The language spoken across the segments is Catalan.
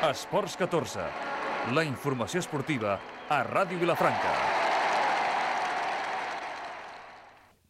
Esports 14, la informació esportiva a Ràdio Vilafranca.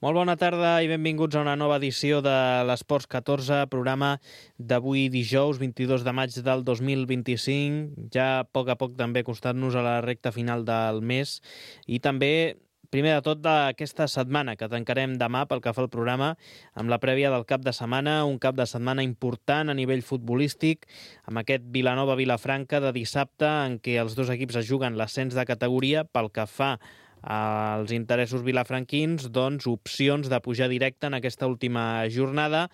Molt bona tarda i benvinguts a una nova edició de l'Esports 14, programa d'avui dijous, 22 de maig del 2025. Ja a poc també acostant-nos a la recta final del mes i també, primer de tot, d'aquesta setmana, que tancarem demà pel que fa al programa, amb la prèvia del cap de setmana, un cap de setmana important a nivell futbolístic, amb aquest Vilanova-Vilafranca de dissabte, en què els dos equips es juguen l'ascens de categoria. Pel que fa als interessos vilafranquins, doncs opcions de pujar directe en aquesta última jornada.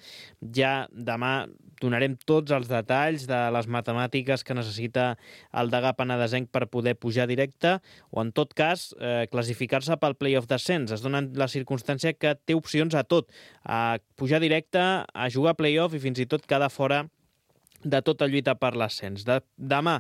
Ja demà donarem tots els detalls de les matemàtiques que necessita el degà penedesenc per poder pujar directe, o en tot cas classificar-se pel play-off d'ascens. Es dona la circumstància que té opcions a tot, a pujar directe, a jugar play-off i fins i tot quedar fora de tota lluita per l'ascens. Demà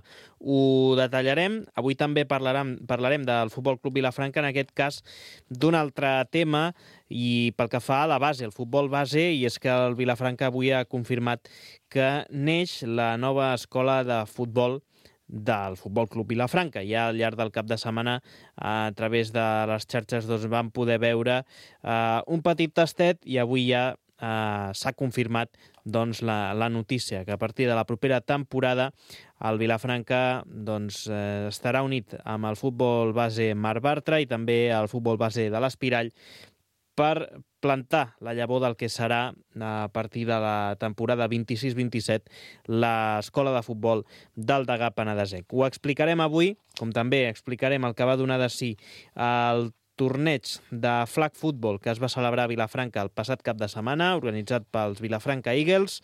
ho detallarem. Avui també parlarem del Futbol Club Vilafranca, en aquest cas d'un altre tema, i pel que fa a la base, el futbol base, i és que el Vilafranca avui ha confirmat que neix la nova escola de futbol del Futbol Club Vilafranca. Ja al llarg del cap de setmana, a través de les xarxes, vam poder veure un petit tastet, i avui ja s'ha confirmat la notícia que a partir de la propera temporada el Vilafranca estarà unit amb el futbol base Marc Bartra i també el futbol base de l'Espirall per plantar la llavor del que serà, a partir de la temporada 26-27, l'escola de futbol del degà penedesenc. Ho explicarem avui, com també explicarem el que va donar de si el torneig de flag football que es va celebrar a Vilafranca el passat cap de setmana, organitzat pels Vilafranca Eagles,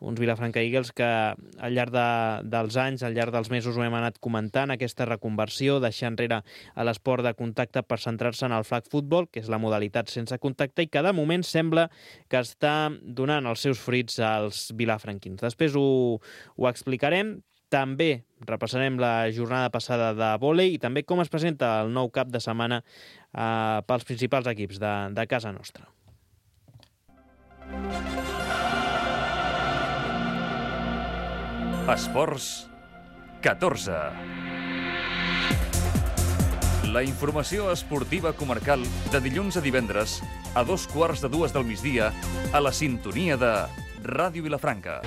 uns Vilafranca Eagles que al llarg dels anys, al llarg dels mesos ho hem anat comentant, aquesta reconversió, deixar enrere l'esport de contacte per centrar-se en el flag football, que és la modalitat sense contacte, i que de moment sembla que està donant els seus fruits als vilafranquins. Després ho explicarem. També repassarem la jornada passada de vòlei i també com es presenta el nou cap de setmana pels principals equips de casa nostra. Esports 14. La informació esportiva comarcal de dilluns a divendres a 2:15 del migdia a la sintonia de Ràdio Vilafranca.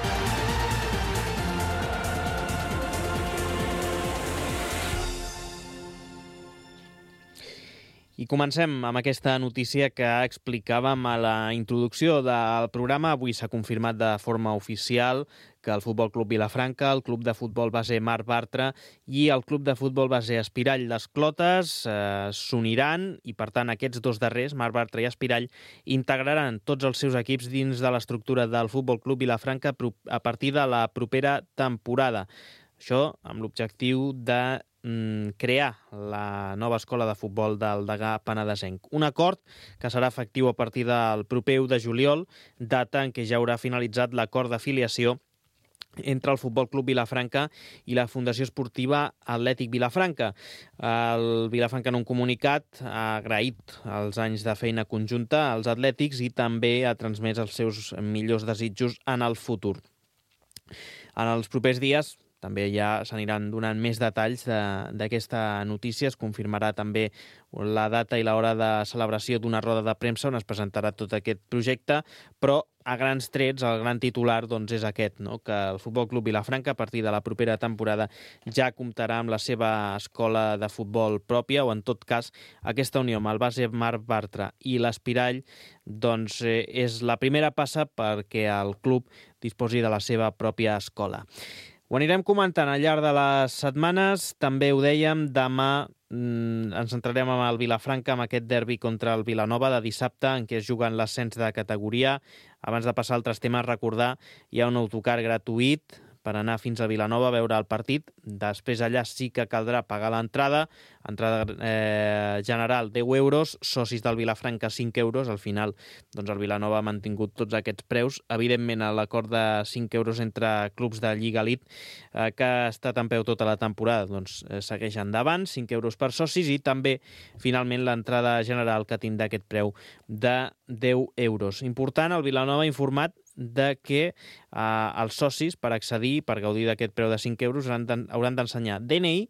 I comencem amb aquesta notícia que explicàvem a la introducció del programa. Avui s'ha confirmat de forma oficial que el Futbol Club Vilafranca, el Club de Futbol Base Marc Bartra i el Club de Futbol Base Espirall les Clotes s'uniran i, per tant, aquests dos darrers, Marc Bartra i Espirall, integraran tots els seus equips dins de l'estructura del Futbol Club Vilafranca a partir de la propera temporada. Això amb l'objectiu de crear la nova escola de futbol del degà penedesenc. Un acord que serà efectiu a partir del proper 1 de juliol, data en què ja haurà finalitzat l'acord d'afiliació entre el Futbol Club Vilafranca i la Fundació Esportiva Atlètic Vilafranca. El Vilafranca, en un comunicat, ha agraït els anys de feina conjunta als atlètics i també ha transmès els seus millors desitjos en el futur. En els propers dies també ja s'aniran donant més detalls d'aquesta notícia. Es confirmarà també la data i l'hora de celebració d'una roda de premsa on es presentarà tot aquest projecte, però a grans trets el gran titular és aquest, que el Futbol Club Vilafranca a partir de la propera temporada ja comptarà amb la seva escola de futbol pròpia, o en tot cas aquesta unió amb el base Marc Bartra i l'Espirall és la primera passa perquè el club disposi de la seva pròpia escola. Ho anirem comentant al llarg de les setmanes. També ho dèiem, demà ens centrarem amb el Vilafranca, amb aquest derbi contra el Vilanova de dissabte, en què es juguen l'ascens de categoria. Abans de passar a altres temes, recordar, hi ha un autocar gratuït per anar fins a Vilanova a veure el partit. Després allà sí que caldrà pagar l'entrada. Entrada general 10 euros, socis del Vilafranca 5 euros. Al final el Vilanova ha mantingut tots aquests preus. Evidentment l'acord de 5 euros entre clubs de Lliga Elite que ha estat en peu tota la temporada segueix endavant, 5 euros per socis, i també finalment l'entrada general que tindrà aquest preu de 10 euros. Important, el Vilanova ha informat de que els socis, per accedir, per gaudir d'aquest preu de 5 euros, hauran d'ensenyar DNI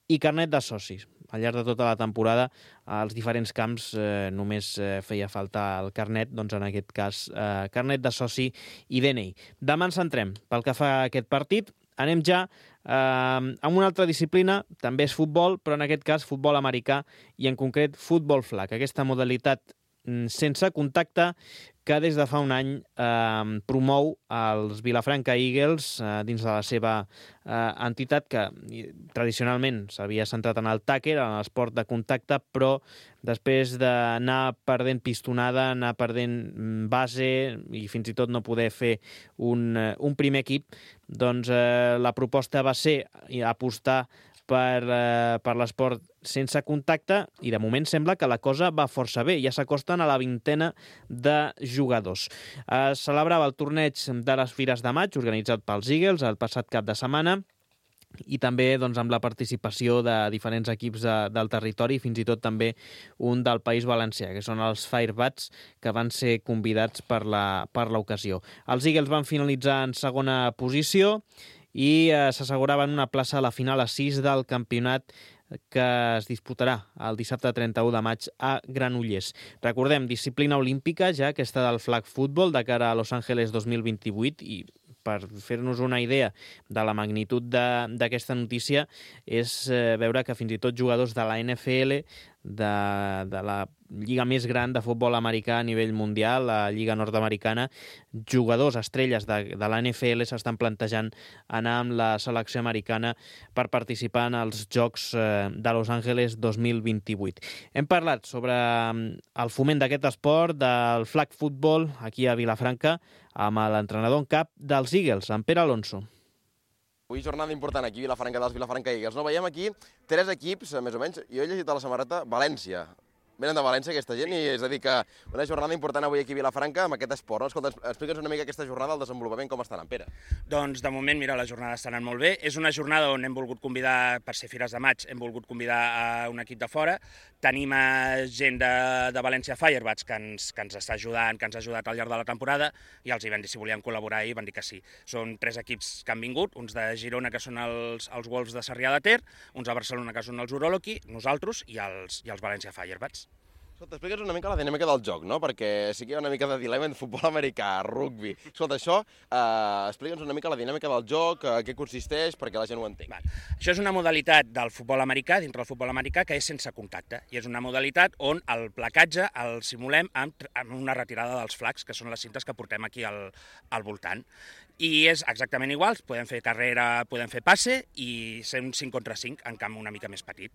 i carnet de socis. Al llarg de tota la temporada, als diferents camps només feia falta el carnet, doncs en aquest cas carnet de soci i DNI. Demà ens centrem pel que fa a aquest partit. Anem ja amb una altra disciplina, també és futbol, però en aquest cas futbol americà i en concret futbol flag. Aquesta modalitat sense contacte que des de fa un any promou els Vilafranca Eagles dins de la seva entitat, que tradicionalment s'havia centrat en el tàquer, en l'esport de contacte, però després d'anar perdent pistonada, anar perdent base i fins i tot no poder fer un primer equip, doncs la proposta va ser apostar per l'esport sense contacte i de moment sembla que la cosa va força bé. Ja s'acosten a la 20ena de jugadors. Es celebrava el torneig de les Fires de Maig organitzat pels Eagles el passat cap de setmana i també doncs, amb la participació de diferents equips del territori, fins i tot també un del País Valencià, que són els Firebats, que van ser convidats per l'ocasió. Els Eagles van finalitzar en segona posició i s'asseguraven una plaça a la final a 6 del campionat que es disputarà el dissabte 31 de maig a Granollers. Recordem, disciplina olímpica ja aquesta del flag football de cara a Los Angeles 2028 i per fer-nos una idea de la magnitud d'aquesta notícia és veure que fins i tot jugadors de la NFL, de la lliga més gran de futbol americà a nivell mundial, la lliga nord-americana, jugadors, estrelles de la NFL s'estan plantejant anar amb la selecció americana per participar en els Jocs de Los Angeles 2028. Hem parlat sobre el foment d'aquest esport, del flag football, aquí a Vilafranca, amb l'entrenador en cap dels Eagles, en Pere Alonso. Avui jornada important aquí a Vilafranca dels Vilafranca Eagles. No, veiem aquí 3 equips, més o menys. Jo he llegit a la samarreta València. Venen de València aquesta gent i és a dir que una jornada important avui aquí a Vilafranca amb aquest esport. No? Escolta, explica'ns una mica aquesta jornada, el desenvolupament, com està anant, Pere. Doncs de moment, mira, la jornada està anant molt bé. És una jornada on hem volgut convidar, per ser Fires de Maig, hem volgut convidar a un equip de fora. Tenim gent de València Firebats que ens està ajudant, que ens ha ajudat al llarg de la temporada i els hi vam dir si volien col·laborar i van dir que sí. Són 3 equips que han vingut, uns de Girona que són els Wolves de Sarrià de Ter, uns de Barcelona que són els Uroloki, nosaltres i els València Firebats. Escolta, explica'ns una mica la dinàmica del joc, no? Perquè sí que hi ha una mica de dilema en futbol americà, rugby. Escolta, això, explica'ns una mica la dinàmica del joc, què consisteix, perquè la gent ho entengui. Això és una modalitat del futbol americà, dintre del futbol americà, que és sense contacte. I és una modalitat on el placatge el simulem amb una retirada dels flags, que són les cintes que portem aquí al voltant. I és exactament igual, podem fer carrera, podem fer passe i ser un 5 contra 5 en camp una mica més petit.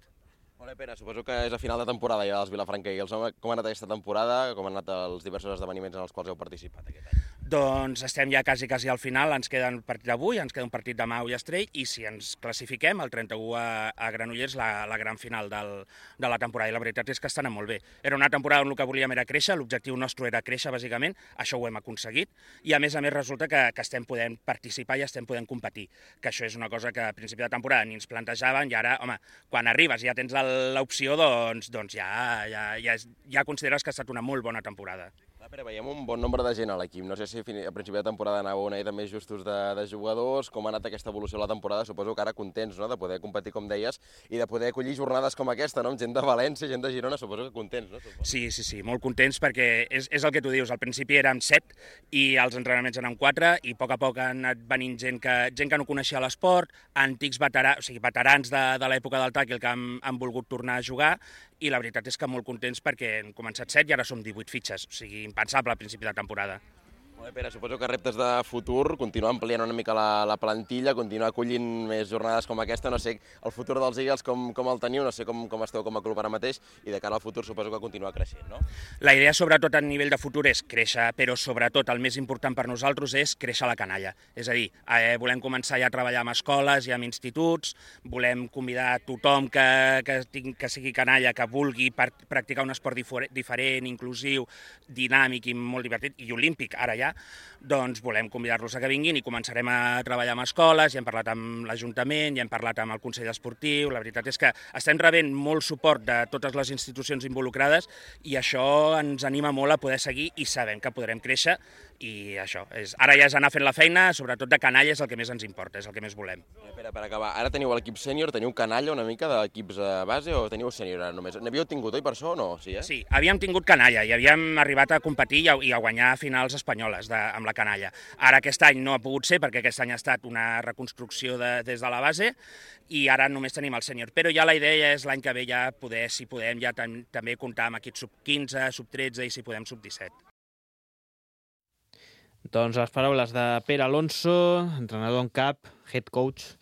Molt bé, Pere, suposo que és a final de temporada ja dels Vilafranca Eagles. Com ha anat aquesta temporada? Com han anat els diversos esdeveniments en els quals heu participat aquest any? Doncs estem ja quasi al final, ens queda un partit avui, ens queda un partit demà a Ullastrell i si ens classifiquem el 31 a Granollers la gran final de la temporada i la veritat és que està anant molt bé. Era una temporada on el que volíem era créixer, l'objectiu nostre era créixer bàsicament, això ho hem aconseguit i a més resulta que estem podent participar i estem podent competir, que això és una cosa que a principi de temporada ni ens plantejaven i ara, home, quan arribes i ja tens l'opció, doncs ja consideres que ha estat una molt bona temporada. Pere, veiem un bon nombre de gent a l'equip. No sé si a principi de temporada anava una mica més justos de jugadors, com ha anat aquesta evolució de la temporada. Suposo que ara contents, no?, de poder competir, com deies, i de poder acollir jornades com aquesta, no?, amb gent de València, gent de Girona, suposo que contents, no? Sí, molt contents perquè és el que tu dius. Al principi érem 7 i els entrenaments eren 4 i a poc han anat venint gent que no coneixia l'esport, antics veterans de l'època del tàquil que han volgut tornar a jugar i la veritat és que molt contents perquè hem començat 7 i ara som 18 fitxes, o sigui, impensable al principi de temporada. Molt bé, Pere, suposo que reptes de futur, continuar ampliant una mica la plantilla, continuar acollint més jornades com aquesta, no sé, el futur dels Eagles com el teniu, no sé com esteu com a club ara mateix, i de cara al futur suposo que continuar creixent, no? La idea, sobretot a nivell de futur, és créixer, però sobretot el més important per nosaltres és créixer la canalla. És a dir, volem començar ja a treballar amb escoles i amb instituts, volem convidar a tothom que sigui canalla, que vulgui practicar un esport diferent, inclusiu, dinàmic i molt divertit, i olímpic, ara ja, doncs volem convidar-los a que vinguin i començarem a treballar amb escoles, ja hem parlat amb l'Ajuntament, ja hem parlat amb el Consell Esportiu, la veritat és que estem rebent molt suport de totes les institucions involucrades i això ens anima molt a poder seguir i sabem que podrem créixer I això, ara ja és anar fent la feina, sobretot de canalla és el que més ens importa, és el que més volem. Espera, per acabar, ara teniu l'equip sènior, teniu canalla una mica d'equips base o teniu sènior ara només? N'havíeu tingut, oi, per això o no? Sí, havíem tingut canalla i havíem arribat a competir i a guanyar finals espanyoles amb la canalla. Ara aquest any no ha pogut ser perquè aquest any ha estat una reconstrucció des de la base i ara només tenim el sènior. Però ja la idea és l'any que ve ja poder, si podem, ja també comptar amb equips sub-15, sub-13 i si podem sub-17. Doncs les paraules de Pere Alonso, entrenador en cap, head coach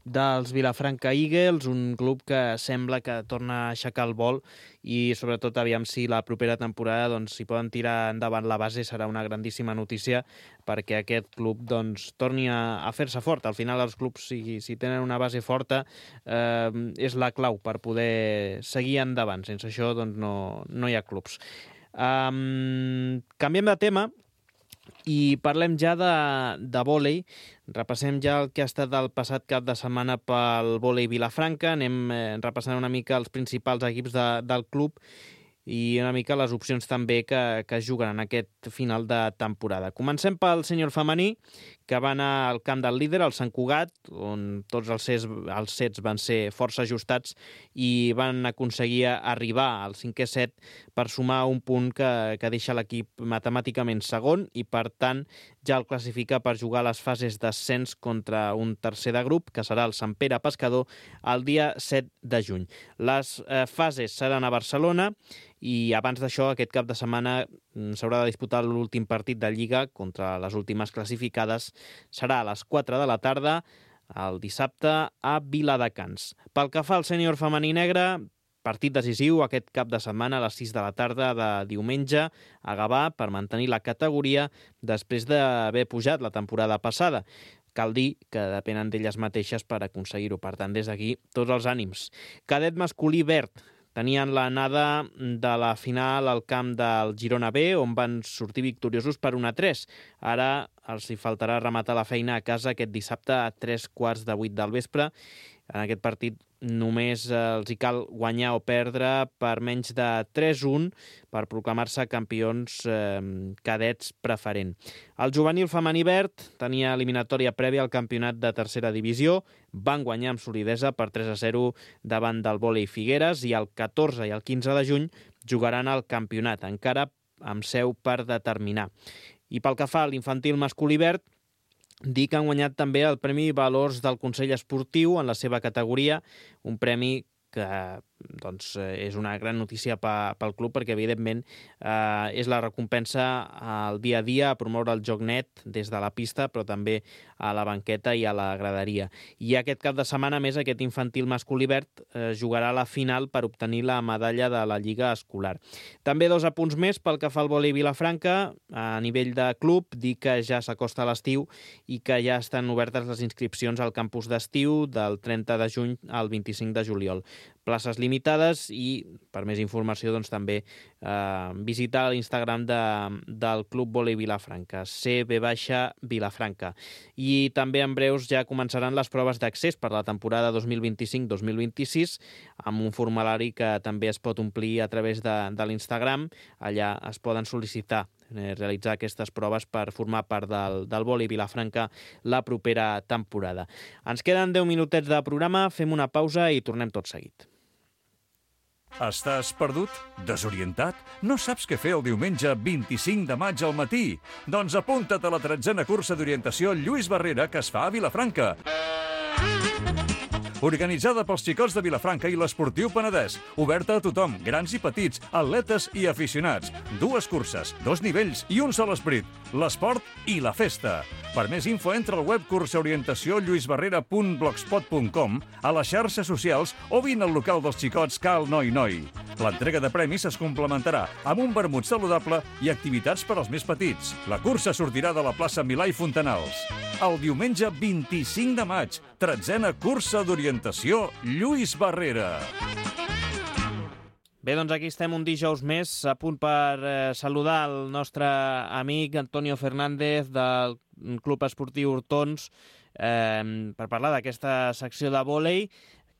dels Vilafranca Eagles, un club que sembla que torna a aixecar el vol i sobretot aviam si la propera temporada doncs, si poden tirar endavant la base serà una grandíssima notícia perquè aquest club doncs, torni a fer-se fort. Al final els clubs, si tenen una base forta, és la clau per poder seguir endavant. Sense això doncs, no hi ha clubs. Canviem de tema i parlem ja de vòlei. Repassem ja el que ha estat el passat cap de setmana pel vòlei Vilafranca. Anem repassant una mica els principals equips del club i una mica les opcions també que es juguen en aquest final de temporada. Comencem pel sènior femení, que va anar al camp del líder, al Sant Cugat, on tots els sets van ser força ajustats i van aconseguir arribar al 5è set per sumar un punt que deixa l'equip matemàticament segon i, per tant, ja el classifica per jugar a les fases d'ascens contra un tercer de grup, que serà el Sant Pere Pescador, el dia 7 de juny. Les fases seran a Barcelona i abans d'això, aquest cap de setmana s'haurà de disputar l'últim partit de Lliga contra les últimes classificades. Serà a les 4 de la tarda, el dissabte, a Viladecans. Pel que fa al sènior femení negre, partit decisiu aquest cap de setmana a les 6 de la tarda de diumenge a Gavà per mantenir la categoria després d'haver pujat la temporada passada. Cal dir que depenen d'elles mateixes per aconseguir-ho. Per tant, des d'aquí, tots els ànims. Cadet masculí verd. Tenien l'anada de la final al camp del Girona B, on van sortir victoriosos per 1-3. Ara els hi faltarà rematar la feina a casa aquest dissabte a 7:45 del vespre. En aquest partit només els hi cal guanyar o perdre per menys de 3-1 per proclamar-se campions cadets preferent. El juvenil femení verd tenia eliminatòria prèvia al campionat de tercera divisió, van guanyar amb solidesa per 3-0 davant del vòlei Figueres i el 14 i el 15 de juny jugaran al campionat, encara amb seu per determinar. I pel que fa a l'infantil masculí verd, dir que han guanyat també el Premi Valors del Consell Esportiu en la seva categoria, un premi que doncs, és una gran notícia pel club perquè, evidentment, és la recompensa al dia a dia a promoure el joc net des de la pista, però també a la banqueta i a la graderia. I aquest cap de setmana, més, aquest infantil masculí verd jugarà a la final per obtenir la medalla de la Lliga Escolar. També 2 apunts més pel que fa al vòlei Vilafranca. A nivell de club, dir que ja s'acosta l'estiu i que ja estan obertes les inscripcions al campus d'estiu del 30 de juny al 25 de juliol. Places limitades i, per més informació, doncs, també visitar l'Instagram del Club Vòlei Vilafranca, CB-Vilafranca. I també en breus ja començaran les proves d'accés per la temporada 2025-2026 amb un formulari que també es pot omplir a través de l'Instagram. Allà es poden sol·licitar realitzar aquestes proves per formar part del vòlei Vilafranca la propera temporada. Ens queden 10 minutets de programa, fem una pausa i tornem tot seguit. Estàs perdut? Desorientat? No saps què fer el diumenge 25 de maig al matí? Doncs apunta't a la 13a cursa d'orientació Lluís Barrera que es fa a Vilafranca. Organitzada pels xicots de Vilafranca i l'Esportiu Penedès. Oberta a tothom, grans i petits, atletes i aficionats. 2 curses, 2 nivells i un sol esperit. L'esport i la festa. Per més info, entra al web cursaorientaciolluisbarrera.blogspot.com, a les xarxes socials o vine al local dels xicots Cal Noi Noi. L'entrega de premis es complementarà amb un vermut saludable i activitats per als més petits. La cursa sortirà de la plaça Milà i Fontanals. El diumenge 25 de maig, 13a cursa d'orientació Lluís Barrera. Bé, doncs aquí estem un dijous més, a punt per saludar el nostre amic Antonio Fernández del Club Esportiu Hortons per parlar d'aquesta secció de vòlei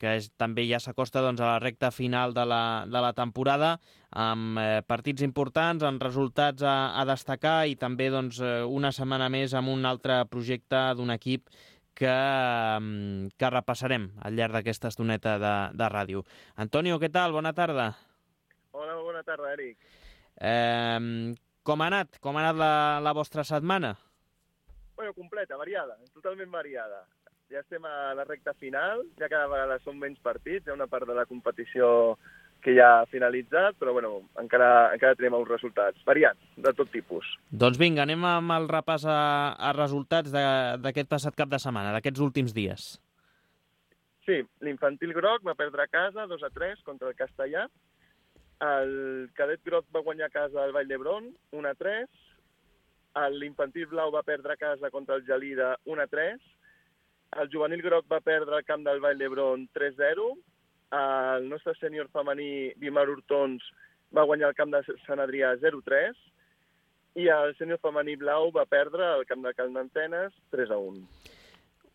que també ja s'acosta a la recta final de la temporada, amb partits importants, amb resultats a destacar i també una setmana més amb un altre projecte d'un equip que repassarem al llarg d'aquesta estoneta de ràdio. Antonio, què tal? Bona tarda. Hola, bona tarda, Eric. Com ha anat la vostra setmana? Bueno, completa, variada, totalment variada. Ja estem a la recta final, ja cada vegada són menys partits, hi ha una part de la competició que ja ha finalitzat, però bueno, encara tenim uns resultats variats, de tot tipus. Doncs vinga, anem amb el repàs a resultats d'aquest passat cap de setmana, d'aquests últims dies. Sí, l'Infantil Groc va perdre a casa 2-3 contra el Castellà, el Cadet Groc va guanyar a casa al Vall d'Hebron 1-3, l'Infantil Blau va perdre a casa contra el Gelida 1-3, el Juvenil Groc va perdre al camp del Vall d'Hebron 3-0, el nostre sènior femení Vimar Hortons va guanyar al camp de Sant Adrià 0-3 i el sènior femení Blau va perdre al camp de Cal Nantenes 3-1.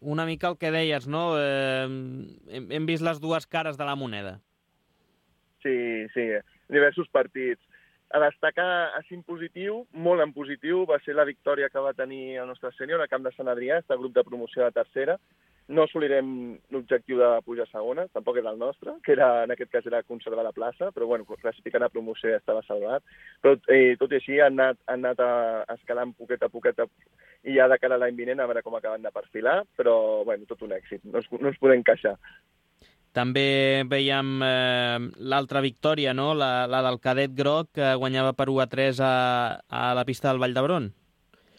Una mica el que deies, no? Hem vist les dues cares de la moneda. Sí, diversos partits. A destacar així en positiu, molt en positiu, va ser la victòria que va tenir el nostre sènior al camp de Sant Adrià, el grup de promoció de tercera. No assolirem l'objectiu de pujar a segona, tampoc era el nostre, que en aquest cas era conservar la plaça, però bueno, classificant a promoció ja estava salvat. Però tot i així han anat escalant poquet a poquet i ja de cara a l'any vinent a veure com acaben de perfilar, però bueno, tot un èxit, no ens podem queixar. També veiem l'altra victòria, no? La del Cadet Groc, que guanyava per 1-3 a la pista del Vall d'Hebron.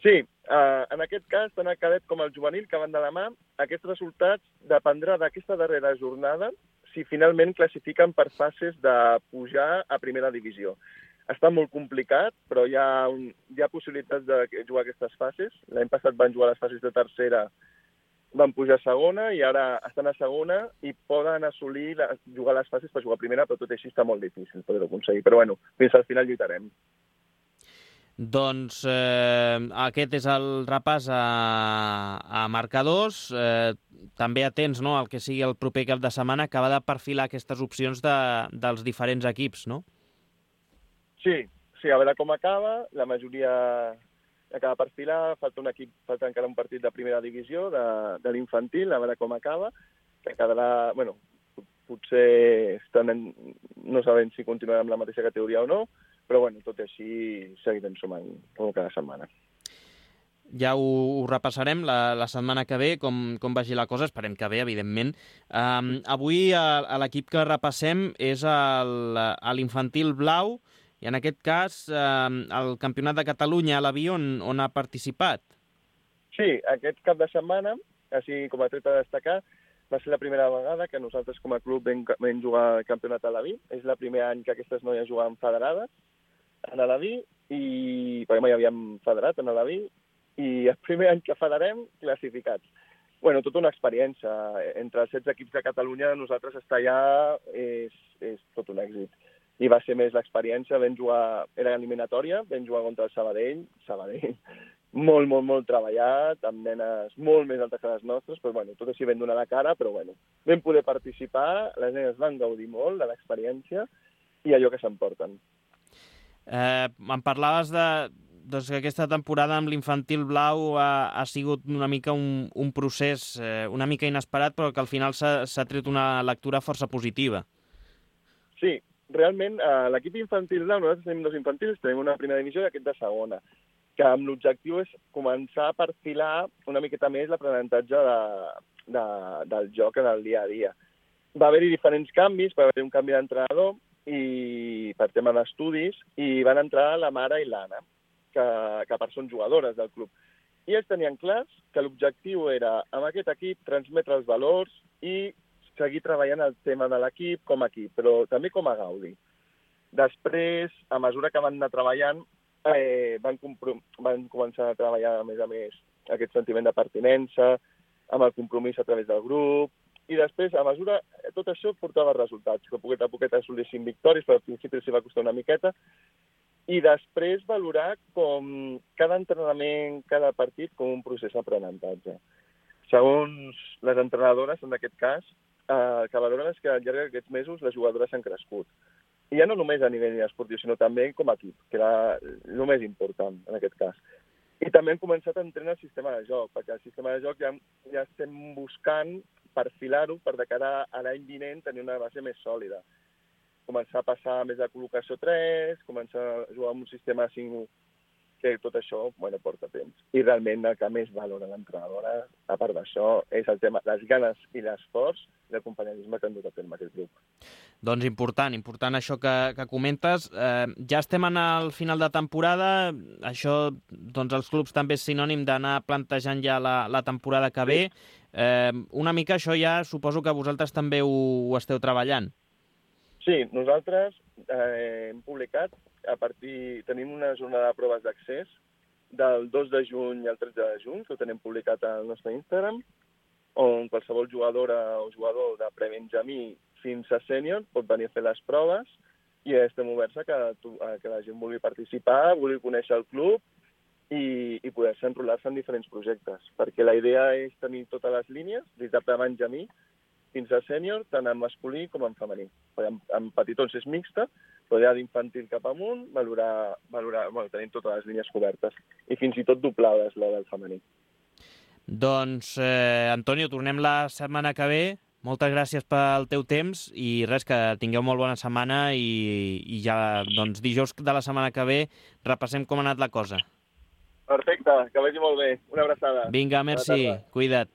Sí, en aquest cas, tant el Cadet com el Juvenil, que van de la mà, aquests resultats dependrà d'aquesta darrera jornada si finalment classifiquen per fases de pujar a primera divisió. Està molt complicat, però hi ha possibilitats de jugar aquestes fases. L'any passat van jugar les fases de tercera, van pujar a segona i ara estan a segona i poden assolir jugar les fases per jugar a primera, però tot així està molt difícil poder-ho aconseguir. Però bueno, fins al final lluitarem. Doncs aquest és el repàs a marcadors. També atents, no?, al que sigui el proper cap de setmana, que va de perfilar aquestes opcions dels diferents equips, no? Sí, a veure com acaba. La majoria acaba per filar, falta encara un partit de primera divisió de l'infantil, a veure com acaba, que quedarà, bueno, potser no sabem si continuarà amb la mateixa categoria o no, però bueno, tot així seguirem sumant com cada setmana. Ja ho repassarem la setmana que ve, com vagi la cosa, esperem que bé, evidentment. Avui l'equip que repassem és l'Infantil Blau, i en aquest cas el Campionat de Catalunya a l'Aví on ha participat. Sí, aquest cap de setmana, així com a tret a destacar, va ser la primera vegada que nosaltres com a club vam jugar al Campionat a l'Aví. És el primer any que aquestes noies jugaven federades a l'Aví, perquè mai havíem federat a l'Aví, i el primer any que federem, classificats. Bueno, tota una experiència. Entre els 16 equips de Catalunya, nosaltres estar allà és tot un èxit. I va ser més l'experiència, era eliminatòria, vam jugar contra el Sabadell, molt treballat, amb nenes molt més altes que les nostres, però bueno, tot així vam donar la cara, però bueno, vam poder participar, les nenes van gaudir molt de l'experiència i allò que s'emporten. Em parlaves que aquesta temporada amb l'Infantil Blau ha sigut una mica un procés una mica inesperat, però que al final s'ha tret una lectura força positiva. Sí, realment, l'equip infantil Blau, nosaltres tenim dos infantils, tenim una primera divisió i aquest de segona, que amb l'objectiu és començar a perfilar una miqueta més l'aprenentatge del joc en el dia a dia. Va haver-hi diferents canvis, va haver-hi un canvi d'entrenador i per tema d'estudis, i van entrar la Mara i l'Anna, que són jugadores del club. I ells tenien clars que l'objectiu era, amb aquest equip, transmetre els valors i seguir treballant el tema de l'equip com a equip, però també com a gaudi. Després, a mesura que van anar treballant, van començar a treballar, a més, aquest sentiment de pertinença, amb el compromís a través del grup, i després, a mesura, tot això portava resultats, que a poquet assolissin victòries, però al principi s'hi va costar una miqueta, i després valorar com cada entrenament, cada partit, com un procés d'aprenentatge. Segons les entrenadores, en aquest cas, que valoren és que al llarg d'aquests mesos les jugadores han crescut. I ja no només a nivell esportiu, sinó també com a equip, que era el més important en aquest cas. I també hem començat a entrenar el sistema de joc, perquè el sistema de joc ja estem buscant perfilar-ho per de cara a l'any vinent tenir una base més sòlida. Començar a passar més de col·locació 3, començar a jugar amb un sistema 5, que tot això porta temps. I realment el que més valora l'entrenadora, a part d'això, és el tema, les ganes i l'esforç i l'acompanyamisme que han dut a terme aquest grup. Doncs important això que comentes. Ja estem al final de temporada, això doncs els clubs també és sinònim d'anar plantejant ja la temporada que ve. Una mica això ja suposo que vosaltres també ho esteu treballant. Sí, nosaltres hem publicat, tenim una jornada de proves d'accés del 2 de juny al 13 de juny, que ho tenim publicat al nostre Instagram, on qualsevol jugadora o jugador de prebenjamí fins a sènior pot venir a fer les proves i estem oberts a que la gent vulgui participar, vulgui conèixer el club i poder-se enrolar-se en diferents projectes, perquè la idea és tenir totes les línies, des de prebenjamí fins a sènior, tant en masculí com en femení. En petitons és mixta, però ja d'infantil cap amunt, tenim totes les línies cobertes. I fins i tot doblades, la del femení. Doncs, Antonio, tornem la setmana que ve. Moltes gràcies pel teu temps i res, que tingueu molt bona setmana i ja, doncs, dijous de la setmana que ve repassem com ha anat la cosa. Perfecte, que vagi molt bé. Una abraçada. Vinga, merci. Cuida't.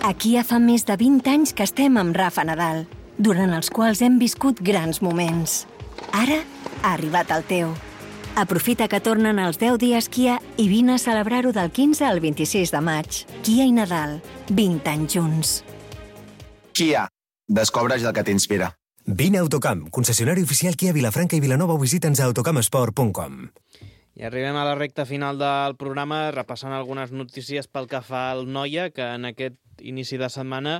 Aquí ja fa més de 20 anys que estem amb Rafa Nadal, durant els quals hem viscut grans moments. Ara ha arribat el teu. Aprofita que tornen els 10 dies Kia i vine a celebrar-ho del 15 al 26 de maig. Kia i Nadal, 20 anys junts. Kia, descobreix el que t'inspira. Vine a Autocamp, concessionari oficial Kia Vilafranca i Vilanova, o visita'ns a autocampsport.com. I arribem a la recta final del programa repassant algunes notícies pel que fa al Noia, que en aquest inici de setmana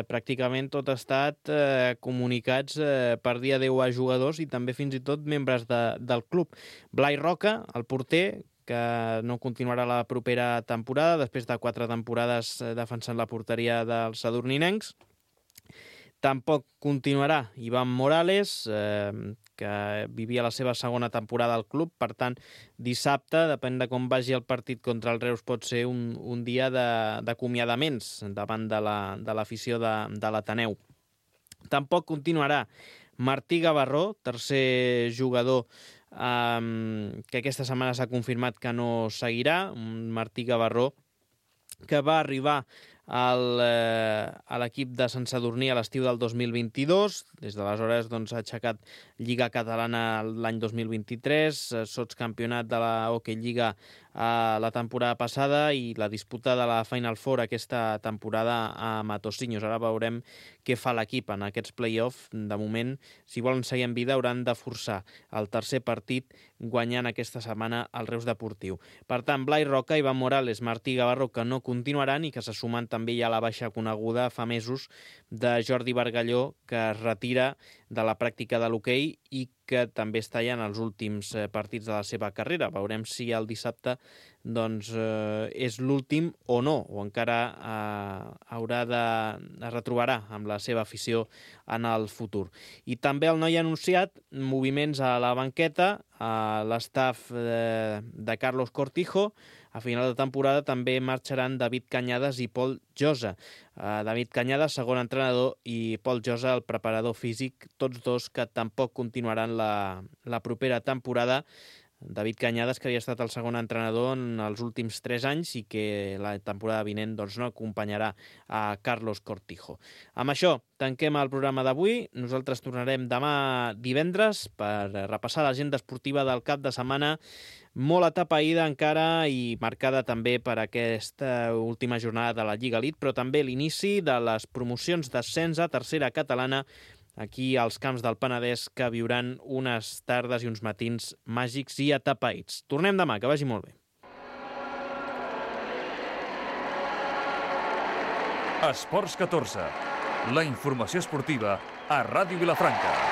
pràcticament tot ha estat comunicats per dia 10 a jugadors i també fins i tot membres del club. Blai Roca, el porter, que no continuarà la propera temporada, després de 4 temporades defensant la porteria dels sadurninencs. Tampoc continuarà Ivan Morales, que vivia la seva segona temporada al club. Per tant, dissabte, depèn de com vagi el partit contra el Reus, pot ser un dia d'acomiadaments davant de l'afició de l'Ateneu. Tampoc continuarà Martí Gavarró, tercer jugador que aquesta setmana s'ha confirmat que no seguirà. Un Martí Gavarró que va arribar a l'equip de Sant Sadurní a l'estiu del 2022. Des d'aleshores ha aixecat Lliga Catalana l'any 2023, sotscampionat de la Hockey Lliga la temporada passada i la disputa de la Final Four aquesta temporada a Matosinhos. Ara veurem què fa l'equip en aquests play-off. De moment, si volen seguir en vida, hauran de forçar el tercer partit guanyant aquesta setmana el Reus Deportiu. Per tant, Blai Roca, Ivan Morales, Martí Gavarró, que no continuaran i que se sumen també ja a la baixa coneguda fa mesos de Jordi Bargalló, que es retira de la pràctica de l'hoquei i que també està ja en els últims partits de la seva carrera. Veurem si el dissabte és l'últim o no, o encara es retrobarà amb la seva afició en el futur. I també el Noia ha anunciat moviments a la banqueta, a l'estaf de Carlos Cortijo. A final de temporada també marxaran David Cañadas i Pol Josa. David Cañadas, segon entrenador, i Pol Josa, el preparador físic, tots dos que tampoc continuaran la propera temporada. David Cañadas, que havia estat el segon entrenador en els últims 3 anys i que la temporada vinent no acompanyarà a Carlos Cortijo. Amb això tanquem el programa d'avui. Nosaltres tornarem demà divendres per repassar l'agenda esportiva del cap de setmana, molt atapeïda encara i marcada també per aquesta última jornada de la Lliga Elite, però també l'inici de les promocions d'ascens a tercera catalana aquí als camps del Penedès, que viuran unes tardes i uns matins màgics i atapeïts. Tornem demà, que vagi molt bé. Esports 14, la informació esportiva a Ràdio Vilafranca.